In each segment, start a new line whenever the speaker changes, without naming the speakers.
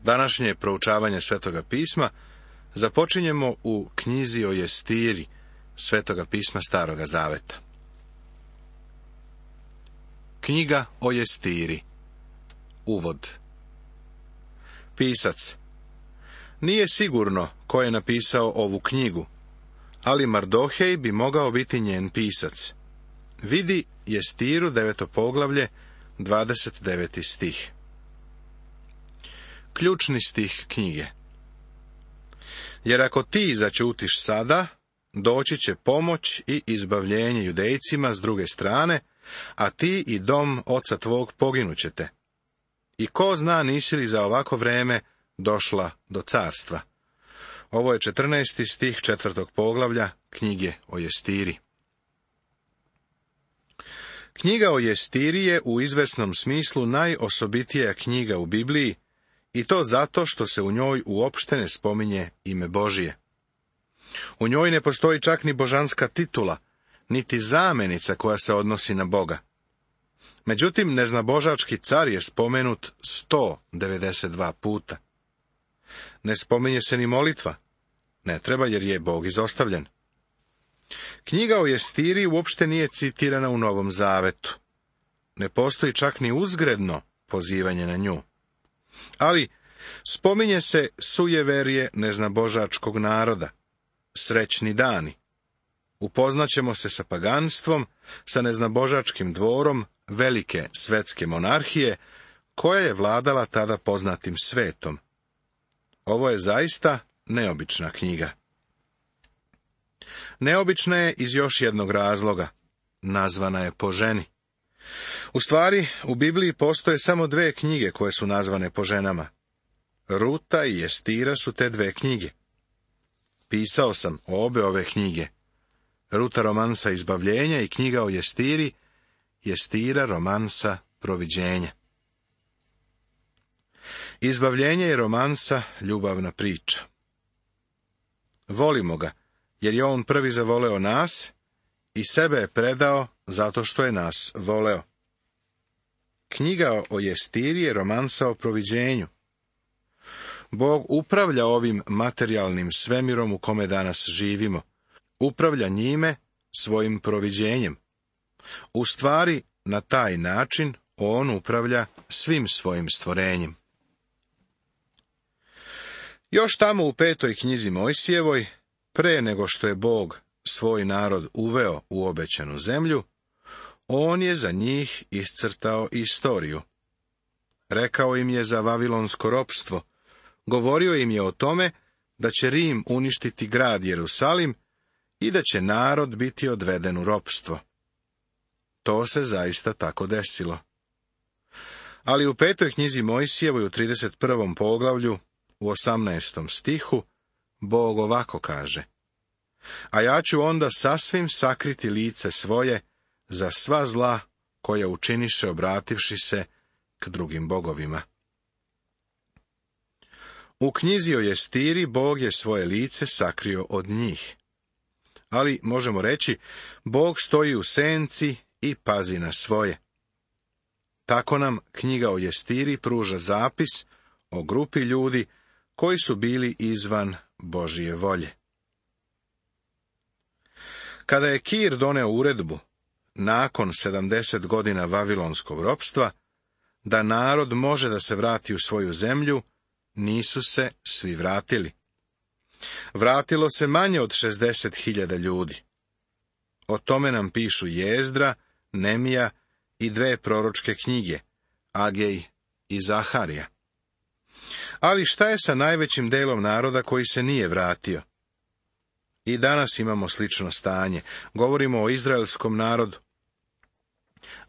Današnje proučavanje Svetoga pisma započinjemo u knjizi o Jestiri, Svetoga pisma Staroga zaveta. Knjiga o Jestiri. Uvod. Pisac. Nije sigurno ko je napisao ovu knjigu, ali Mardohej bi mogao biti njen pisac. Vidi Jestiru, 9. poglavlje, 29. stih. Ključni stih knjige. Jer ako ti zaćutiš sada, doći će pomoć i izbavljenje Judejcima s druge strane, a ti i dom oca tvog poginućete. I ko zna nisi li za ovako vreme došla do carstva. Ovo je 14. stih 4. poglavlja knjige o Jestiri. Knjiga o Jestiri je u izvesnom smislu najosobitija knjiga u Bibliji, i to zato što se u njoj uopšte ne spominje ime Božije. U njoj ne postoji čak ni božanska titula, niti zamenica koja se odnosi na Boga. Međutim, neznabožački car je spomenut 192 puta. Ne spominje se ni molitva. Ne treba, jer je Bog izostavljen. Knjiga o Jestiri uopšte nije citirana u Novom Zavetu. Ne postoji čak ni uzgredno pozivanje na nju. Ali spominje se sujeverje neznabožačkog naroda, srećni dani. Upoznaćemo se sa paganstvom, sa neznabožačkim dvorom velike svetske monarhije, koja je vladala tada poznatim svetom. Ovo je zaista neobična knjiga. Neobična je iz još jednog razloga. Nazvana je po ženi. U stvari, u Bibliji postoje samo dve knjige koje su nazvane po ženama. Ruta i Jestira su te dve knjige. Pisao sam obe ove knjige. Ruta romansa izbavljenja i knjiga o Jestiri, Jestira romansa proviđenja. Izbavljenje je romansa ljubavna priča. Volimo ga, jer je on prvi zavoleo nas i sebe je predao zato što je nas voleo. Knjiga o Jestiri je romansa o proviđenju. Bog upravlja ovim materijalnim svemirom u kome danas živimo. Upravlja njime svojim proviđenjem. U stvari, na taj način on upravlja svim svojim stvorenjem. Još tamo u 5. knjizi Mojsijevoj, pre nego što je Bog svoj narod uveo u obećanu zemlju, on je za njih iscrtao istoriju. Rekao im je za vavilonsko ropstvo, govorio im je o tome da će Rim uništiti grad Jerusalim i da će narod biti odveden u ropstvo. To se zaista tako desilo. Ali u 5. knjizi Mojsijevoj u 31. poglavlju, u 18. stihu, Bog ovako kaže: a ja ću onda sasvim sakriti lice svoje za sva zla koja učiniše obrativši se k drugim bogovima. U knjizi o Jestiri Bog je svoje lice sakrio od njih. Ali, možemo reći, Bog stoji u senci i pazi na svoje. Tako nam knjiga o Jestiri pruža zapis o grupi ljudi koji su bili izvan Božije volje. Kada je Kir doneo uredbu, nakon 70 godina vavilonskog ropstva, da narod može da se vrati u svoju zemlju, nisu se svi vratili. Vratilo se manje od 60.000 ljudi. O tome nam pišu Jezdra, Nemija i 2 proročke knjige, Agej i Zaharija. Ali šta je sa najvećim delom naroda koji se nije vratio? I danas imamo slično stanje. Govorimo o izraelskom narodu.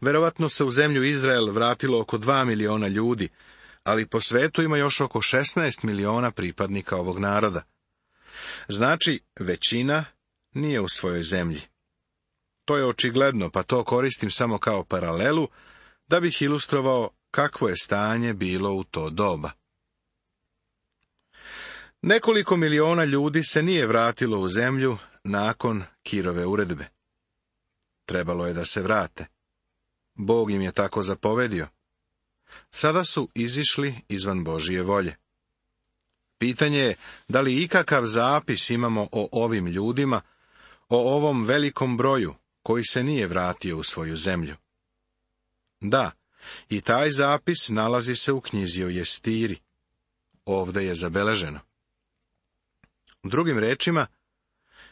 Verovatno se u zemlju Izrael vratilo oko 2 miliona ljudi, ali po svetu ima još oko 16 miliona pripadnika ovog naroda. Znači, većina nije u svojoj zemlji. To je očigledno, pa to koristim samo kao paralelu, da bih ilustrovao kakvo je stanje bilo u to doba. Nekoliko miliona ljudi se nije vratilo u zemlju nakon Kirove uredbe. Trebalo je da se vrate. Bog im je tako zapovedio. Sada su izišli izvan Božije volje. Pitanje je da li ikakav zapis imamo o ovim ljudima, o ovom velikom broju koji se nije vratio u svoju zemlju. Da, i taj zapis nalazi se u knjizi o Jestiri. Ovdje je zabeleženo. Drugim rečima,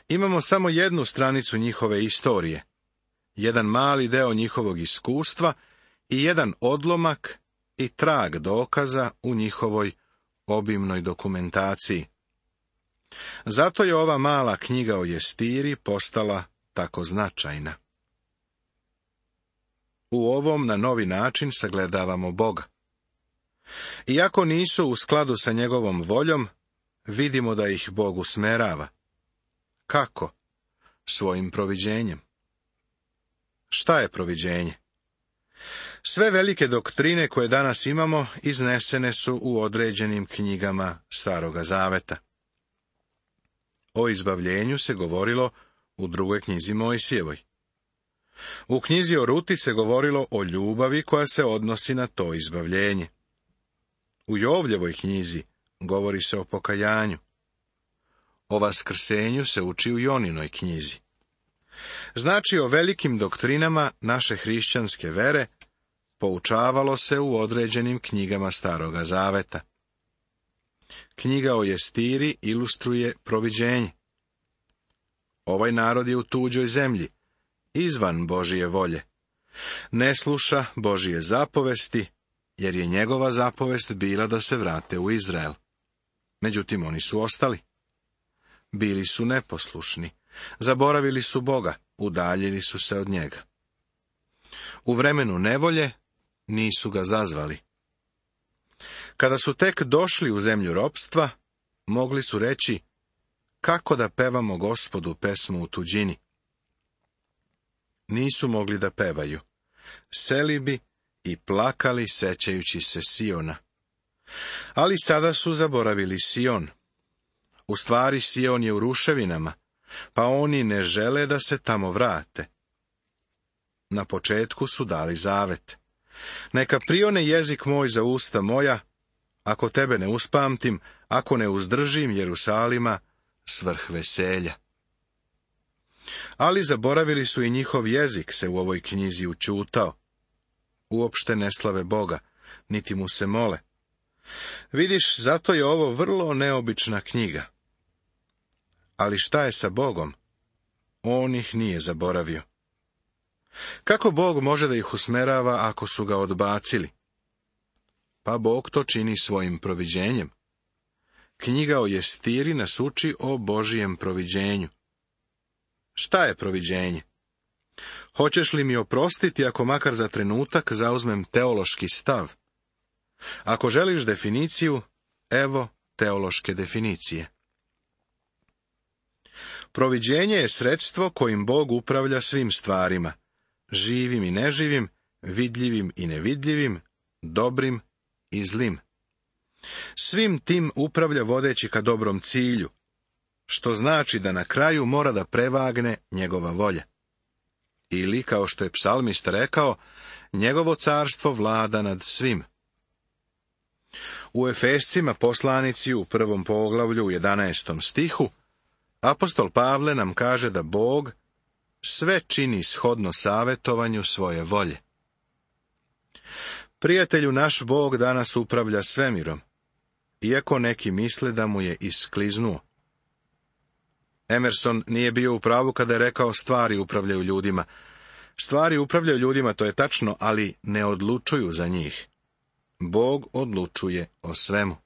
imamo samo jednu stranicu njihove istorije, jedan mali deo njihovog iskustva i jedan odlomak i trag dokaza u njihovoj obimnoj dokumentaciji. Zato je ova mala knjiga o Jestiri postala tako značajna. U ovom na novi način sagledavamo Boga. Iako nisu u skladu sa njegovom voljom, vidimo da ih Bog usmerava. Kako? Svojim proviđenjem. Šta je proviđenje? Sve velike doktrine koje danas imamo iznesene su u određenim knjigama Staroga Zaveta. O izbavljenju se govorilo u drugoj knjizi Mojsijevoj. U knjizi o Ruti se govorilo o ljubavi koja se odnosi na to izbavljenje. U Jovljevoj knjizi govori se o pokajanju. O vaskrsenju se uči u Joninoj knjizi. Znači, o velikim doktrinama naše hrišćanske vere poučavalo se u određenim knjigama Staroga Zaveta. Knjiga o Jestiri ilustruje proviđenje. Ovaj narod je u tuđoj zemlji, izvan Božije volje. Ne sluša Božije zapovesti, jer je njegova zapovest bila da se vrate u Izrael. Međutim, oni su ostali. Bili su neposlušni, zaboravili su Boga, udaljili su se od njega. U vremenu nevolje nisu ga zazvali. Kada su tek došli u zemlju ropstva, mogli su reći, kako da pevamo Gospodu pesmu u tuđini. Nisu mogli da pevaju. Seli bi i plakali sećajući se Siona. Ali sada su zaboravili Sion. U stvari Sion je u ruševinama, pa oni ne žele da se tamo vrate. Na početku su dali zavet. Neka prione jezik moj za usta moja, ako tebe ne uspamtim, ako ne uzdržim Jerusalima svrh veselja. Ali zaboravili su i njihov jezik se u ovoj knjizi učutao. Uopšte ne slave Boga, niti mu se mole. Vidiš, zato je ovo vrlo neobična knjiga. Ali šta je sa Bogom? On ih nije zaboravio. Kako Bog može da ih usmerava ako su ga odbacili? Pa Bog to čini svojim proviđenjem. Knjiga o Jestiri nas uči o Božijem proviđenju. Šta je proviđenje? Hoćeš li mi oprostiti ako makar za trenutak zauzmem teološki stav? Ako želiš definiciju, evo teološke definicije. Proviđenje je sredstvo kojim Bog upravlja svim stvarima, živim i neživim, vidljivim i nevidljivim, dobrim i zlim. Svim tim upravlja vodeći ka dobrom cilju, što znači da na kraju mora da prevagne njegova volja. Ili, kao što je psalmist rekao, njegovo carstvo vlada nad svim. U Efescima poslanici u 1. poglavlju u 11. stihu apostol Pavle nam kaže da Bog sve čini shodno savjetovanju svoje volje. Prijatelju, naš Bog danas upravlja svemirom, iako neki misle da mu je iskliznuo. Emerson nije bio u pravu kada je rekao stvari upravljaju ljudima. Stvari upravljaju ljudima, to je tačno, ali ne odlučuju za njih. Bog odlučuje o svemu.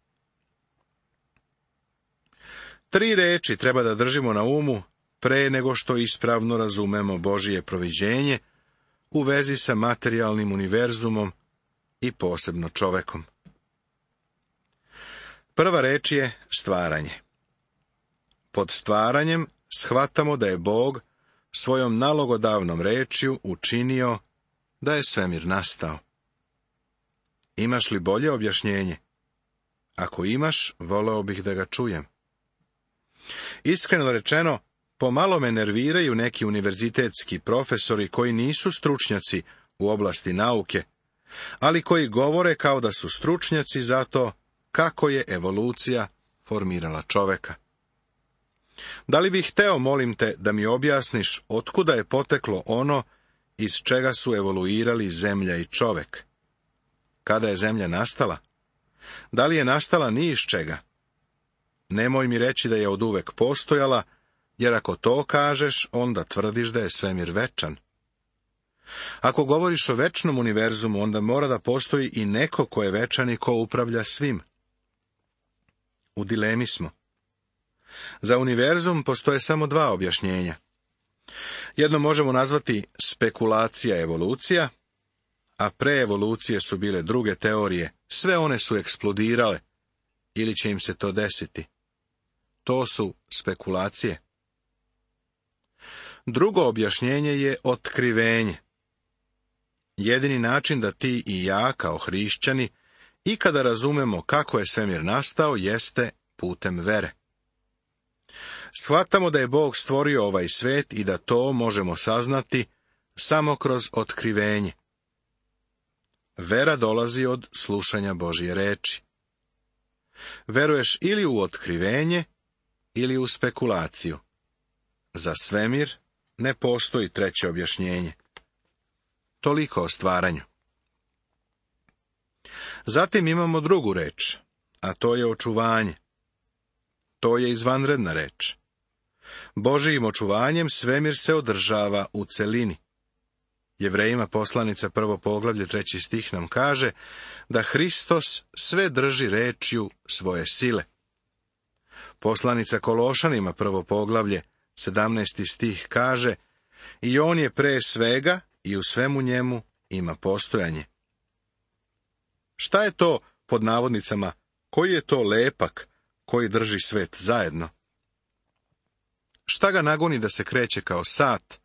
3 reči treba da držimo na umu pre nego što ispravno razumemo Božije proviđenje u vezi sa materijalnim univerzumom i posebno čovekom. Prva reč je stvaranje. Pod stvaranjem shvatamo da je Bog svojom nalogodavnom rečju učinio da je svemir nastao. Imaš li bolje objašnjenje? Ako imaš, voleo bih da ga čujem. Iskreno rečeno, pomalo me nerviraju neki univerzitetski profesori koji nisu stručnjaci u oblasti nauke, ali koji govore kao da su stručnjaci za to kako je evolucija formirala čoveka. Da li bih hteo, molim te, da mi objasniš otkuda je poteklo ono iz čega su evoluirali zemlja i čovek? Kada je zemlja nastala? Da li je nastala ni iz čega? Nemoj mi reći da je oduvek postojala, jer ako to kažeš, onda tvrdiš da je svemir večan. Ako govoriš o večnom univerzumu, onda mora da postoji i neko ko je večan i ko upravlja svim. U dilemi smo. Za univerzum postoje samo dva objašnjenja. Jedno možemo nazvati spekulacija evolucija, a pre evolucije su bile druge teorije, sve one su eksplodirale, ili će im se to desiti. To su spekulacije. Drugo objašnjenje je otkrivenje. Jedini način da ti i ja, kao hrišćani, ikada razumemo kako je svemir nastao, jeste putem vere. Shvatamo da je Bog stvorio ovaj svet i da to možemo saznati samo kroz otkrivenje. Vera dolazi od slušanja Božje reči. Veruješ ili u otkrivenje, ili u spekulaciju. Za svemir ne postoji treće objašnjenje. Toliko o stvaranju. Zatim imamo drugu reč, a to je očuvanje. To je izvanredna reč. Božijim očuvanjem svemir se održava u celini. Jevrejima poslanica 1. poglavlje 3. stih nam kaže da Hristos sve drži rečju svoje sile. Poslanica Kološanima 1. poglavlje 17. stih kaže i on je pre svega i u svemu njemu ima postojanje. Šta je to, pod navodnicama, koji je to lepak koji drži svet zajedno? Šta ga nagoni da se kreće kao sat,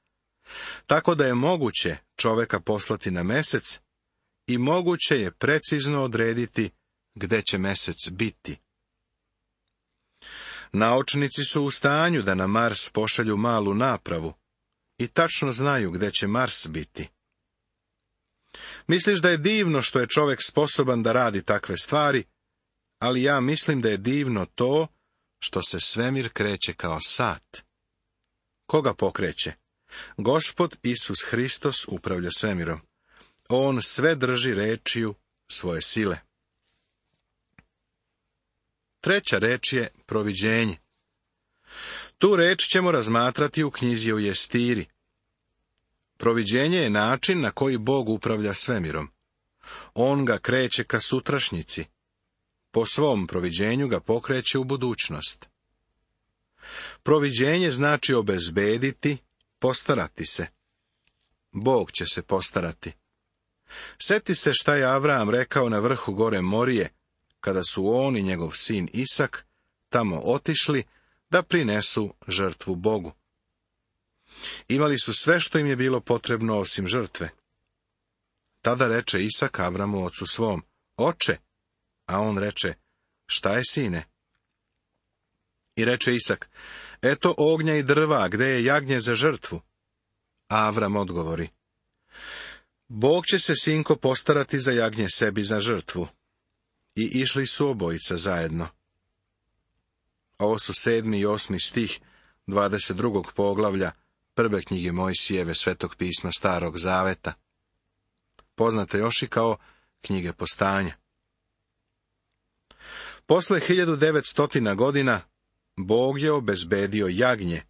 tako da je moguće čoveka poslati na mesec i moguće je precizno odrediti gde će mesec biti? Naučnici su u stanju da na Mars pošalju malu napravu i tačno znaju gde će Mars biti. Misliš da je divno što je čovek sposoban da radi takve stvari, ali ja mislim da je divno to što se svemir kreće kao sat. Koga pokreće? Gospod Isus Hristos upravlja svemirom. On sve drži rečju svoje sile. Treća reč je proviđenje. Tu reč ćemo razmatrati u knjizi o Jestiri. Proviđenje je način na koji Bog upravlja svemirom. On ga kreće ka sutrašnjici. Po svom proviđenju ga pokreće u budućnost. Proviđenje znači obezbediti, postarati se. Bog će se postarati. Seti se šta je Avram rekao na vrhu gore Morije, kada su on i njegov sin Isak tamo otišli da prinesu žrtvu Bogu. Imali su sve što im je bilo potrebno osim žrtve. Tada reče Isak Avramu ocu svom, oče, a on reče, šta je, sine? I reče Isak, eto ognja i drva, gde je jagnje za žrtvu? A Avram odgovori, Bog će se, sinko, postarati za jagnje sebi za žrtvu. I išli su obojica zajedno. Ovo su 7. i 8. stih 22. poglavlja prve knjige Mojsijeve, Svetog pisma Starog zaveta. Poznate još i kao knjige Postanja. Posle 1900 godina Bog je obezbedio jagnje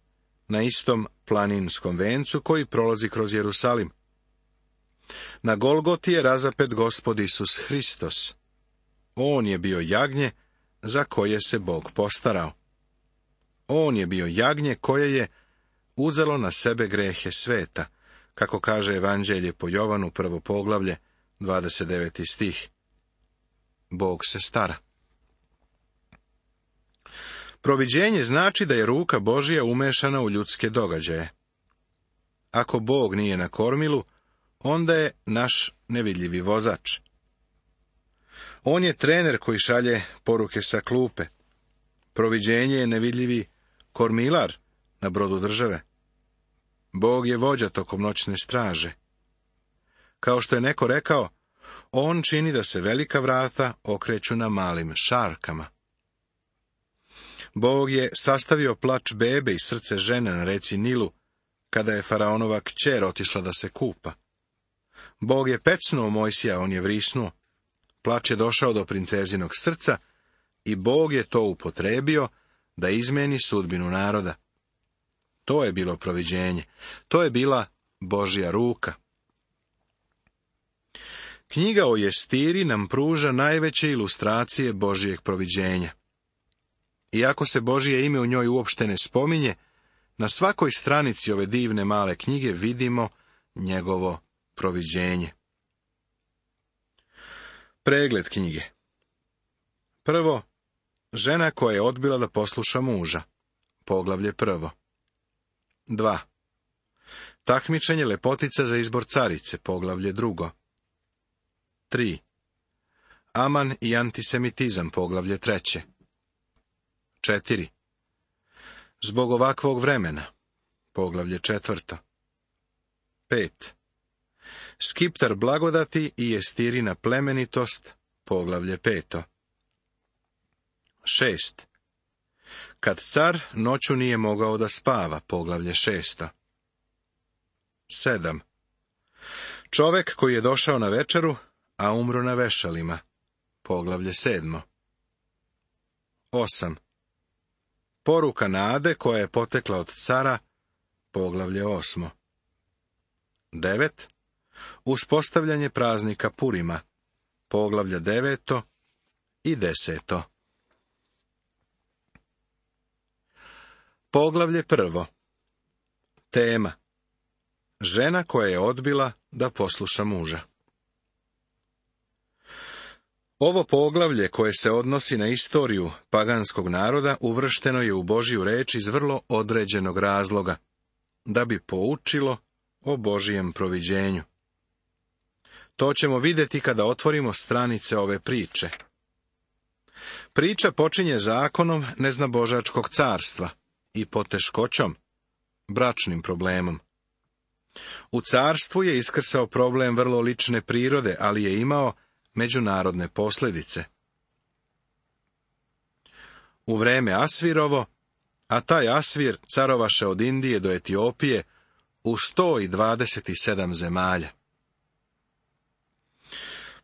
na istom planinskom vencu koji prolazi kroz Jerusalim. Na Golgoti je razapet Gospod Isus Hristos. On je bio jagnje za koje se Bog postarao. On je bio jagnje koje je uzelo na sebe grehe sveta, kako kaže Evanđelje po Jovanu 1. poglavlje 29. stih. Bog se stara. Proviđenje znači da je ruka Božja umešana u ljudske događaje. Ako Bog nije na kormilu, onda je naš nevidljivi vozač. On je trener koji šalje poruke sa klupe. Proviđenje je nevidljivi kormilar na brodu države. Bog je vođa tokom noćne straže. Kao što je neko rekao, on čini da se velika vrata okreću na malim šarkama. Bog je sastavio plač bebe i srce žene na reci Nilu, kada je faraonova kćer otišla da se kupa. Bog je pecnuo Mojsija, on je vrisnuo. Plač je došao do princezinog srca i Bog je to upotrebio da izmeni sudbinu naroda. To je bilo proviđenje. To je bila Božja ruka. Knjiga o Jestiri nam pruža najveće ilustracije Božjeg proviđenja. Iako se Božje ime u njoj uopšte ne spominje, na svakoj stranici ove divne male knjige vidimo njegovo proviđenje. Pregled knjige. Prvo, žena koja je odbila da posluša muža. Poglavlje 1. 2. Takmičenje lepotica za izbor carice. Poglavlje 2. 3. Aman i antisemitizam. Poglavlje 3. 4. Zbog ovakvog vremena. Poglavlje 4. 5. Skiptar blagodati i Jestirina plemenitost. Poglavlje 5. 6. Kad car noću nije mogao da spava. Poglavlje 6. 7. Čovek koji je došao na večeru, a umro na vešalima. Poglavlje 7. 8. Poruka nade koja je potekla od cara. Poglavlje 8. 9. Uspostavljanje praznika Purima. Poglavlja 9. i 10. Poglavlje 1. Tema. Žena koja je odbila da posluša muža. Ovo poglavlje koje se odnosi na istoriju paganskog naroda uvršteno je u Božju reč iz vrlo određenog razloga, da bi poučilo o Božijem proviđenju. To ćemo vidjeti kada otvorimo stranice ove priče. Priča počinje zakonom neznabožačkog carstva i poteškoćom, bračnim problemom. U carstvu je iskrsao problem vrlo lične prirode, ali je imao međunarodne posljedice. U vreme Asvirovo, a taj Asvir carovaše od Indije do Etiopije u 127 zemalja.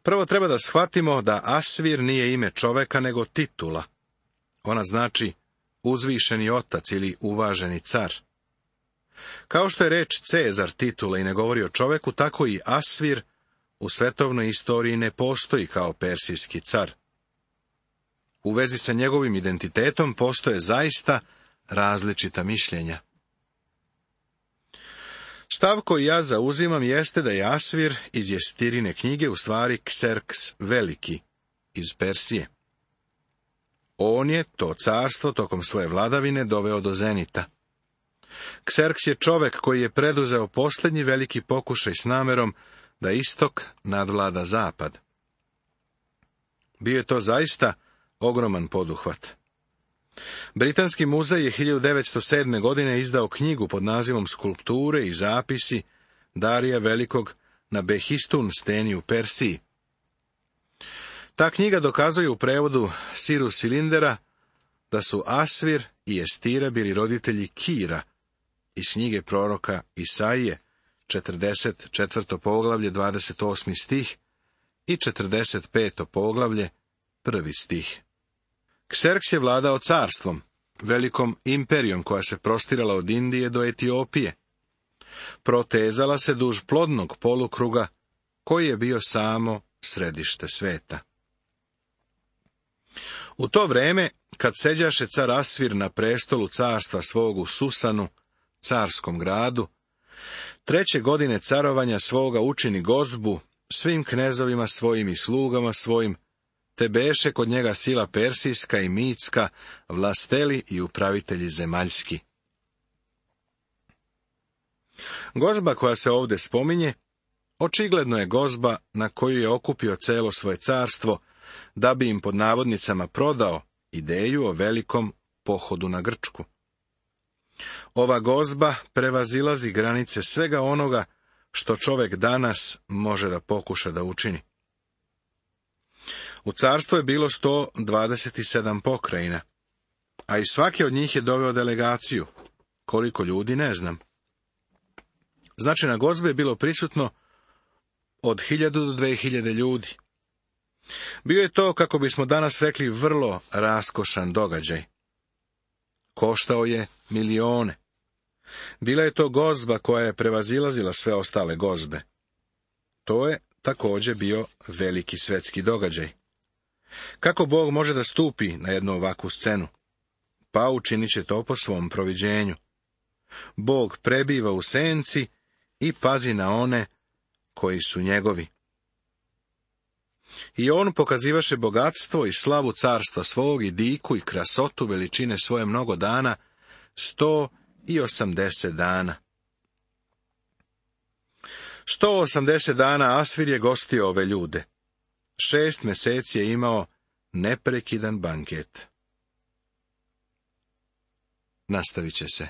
Prvo treba da shvatimo da Asvir nije ime čoveka, nego titula. Ona znači uzvišeni otac ili uvaženi car. Kao što je reč Cezar titula i ne govori o čoveku, tako i Asvir u svetovnoj istoriji ne postoji kao persijski car. U vezi sa njegovim identitetom postoje zaista različita mišljenja. Stav koji ja zauzimam jeste da je Asvir iz Jestirine knjige u stvari Kserks Veliki iz Persije. On je to carstvo tokom svoje vladavine doveo do zenita. Kserks je čovek koji je preduzeo posljednji veliki pokušaj s namerom da istok nadvlada zapad. Bio je to zaista ogroman poduhvat. Britanski muzej je 1907. godine izdao knjigu pod nazivom Skulpture i zapisi Darija Velikog na Behistun steni u Persiji. Ta knjiga dokazuje u prevodu Siru Silindera da su Asvir i Jestira bili roditelji Kira iz knjige proroka Isaije, 44. poglavlje, 28. stih i 45. poglavlje, 1. stih. Kserks je vladao carstvom, velikom imperijom koja se prostirala od Indije do Etiopije. Protezala se duž plodnog polukruga koji je bio samo središte sveta. U to vreme, kad seđaše car Asvir na prestolu carstva svog u Susanu, carskom gradu, 3. godine carovanja svoga učini gozbu svim knezovima svojim i slugama svojim, te beše kod njega sila persijska i mitska, vlasteli i upravitelji zemaljski. Gozba koja se ovdje spominje, očigledno je gozba na koju je okupio celo svoje carstvo, da bi im pod navodnicama prodao ideju o velikom pohodu na Grčku. Ova gozba prevazilazi granice svega onoga što čovjek danas može da pokuša da učini. U carstvu je bilo 127 pokrajina, a i svaki od njih je doveo delegaciju. Koliko ljudi, ne znam. Znači, na gozbi je bilo prisutno od 1000 do 2000 ljudi. Bio je to, kako bismo danas rekli, vrlo raskošan događaj. Koštao je milione. Bila je to gozba koja je prevazilazila sve ostale gozbe. To je također bio veliki svetski događaj. Kako Bog može da stupi na jednu ovakvu scenu? Pa učinit će to po svom proviđenju. Bog prebiva u senci i pazi na one koji su njegovi. I on pokazivaše bogatstvo i slavu carstva svog i diku i krasotu veličine svoje mnogo dana, 180 dana. 180 dana Asvir je gostio ove ljude. 6 mjeseci je imao neprekidan banket. Nastavit će se.